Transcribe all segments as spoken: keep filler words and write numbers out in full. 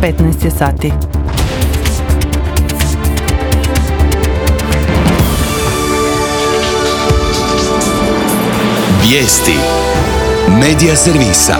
petnaest je sati. Vijesti Medija servisa.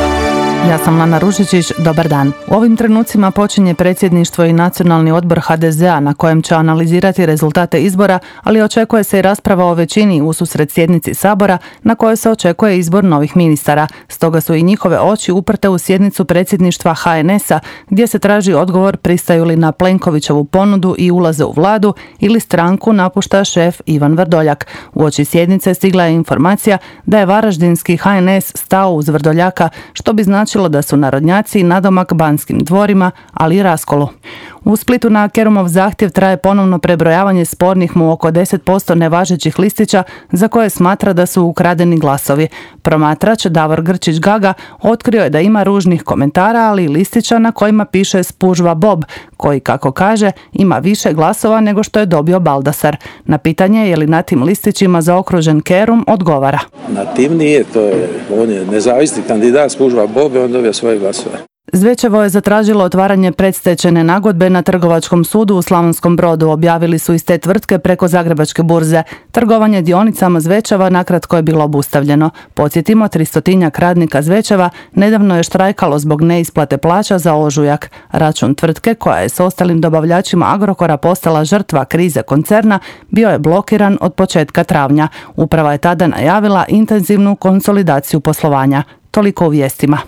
Ja sam Lana Ružičić, dobar dan. U ovim trenucima počinje predsjedništvo i Nacionalni odbor ha de ze a na kojem će analizirati rezultate izbora, ali očekuje se i rasprava o većini ususret sjednici Sabora na kojoj se očekuje izbor novih ministara. Stoga su i njihove oči uprte u sjednicu predsjedništva ha en es a gdje se traži odgovor pristaju li na Plenkovićevu ponudu i ulaze u vladu ili stranku napušta šef Ivan Vrdoljak. Uoči sjednice stigla je informacija da je varaždinski ha en es stao uz Vrdoljaka, što bi značilo da su narodnjaci nadomak Banskim dvorima, ali i raskolu. U Splitu na Kerumov zahtjev traje ponovno prebrojavanje spornih mu oko deset posto nevažećih listića za koje smatra da su ukradeni glasovi. Promatrač Davor Grčić-Gaga otkrio je da ima ružnih komentara, ali i listića na kojima piše Spužva Bob, koji, kako kaže, ima više glasova nego što je dobio Baldasar. Na pitanje je li na tim listićima zaokružen Kerum, odgovara: Na tim nije, to je, on je nezavisni kandidat, Spužva Bob, i on dobio svoje glasove. Zvečevo je zatražilo otvaranje predstečajne nagodbe na Trgovačkom sudu u Slavonskom Brodu, objavili su iz te tvrtke preko Zagrebačke burze. Trgovanje dionicama Zvečeva nakratko je bilo obustavljeno. Podsjetimo, tristotinjak radnika Zvečeva nedavno je štrajkalo zbog neisplate plaća za ožujak. Račun tvrtke, koja je s ostalim dobavljačima Agrokora postala žrtva krize koncerna, bio je blokiran od početka travnja. Uprava je tada najavila intenzivnu konsolidaciju poslovanja. Toliko u vijestima.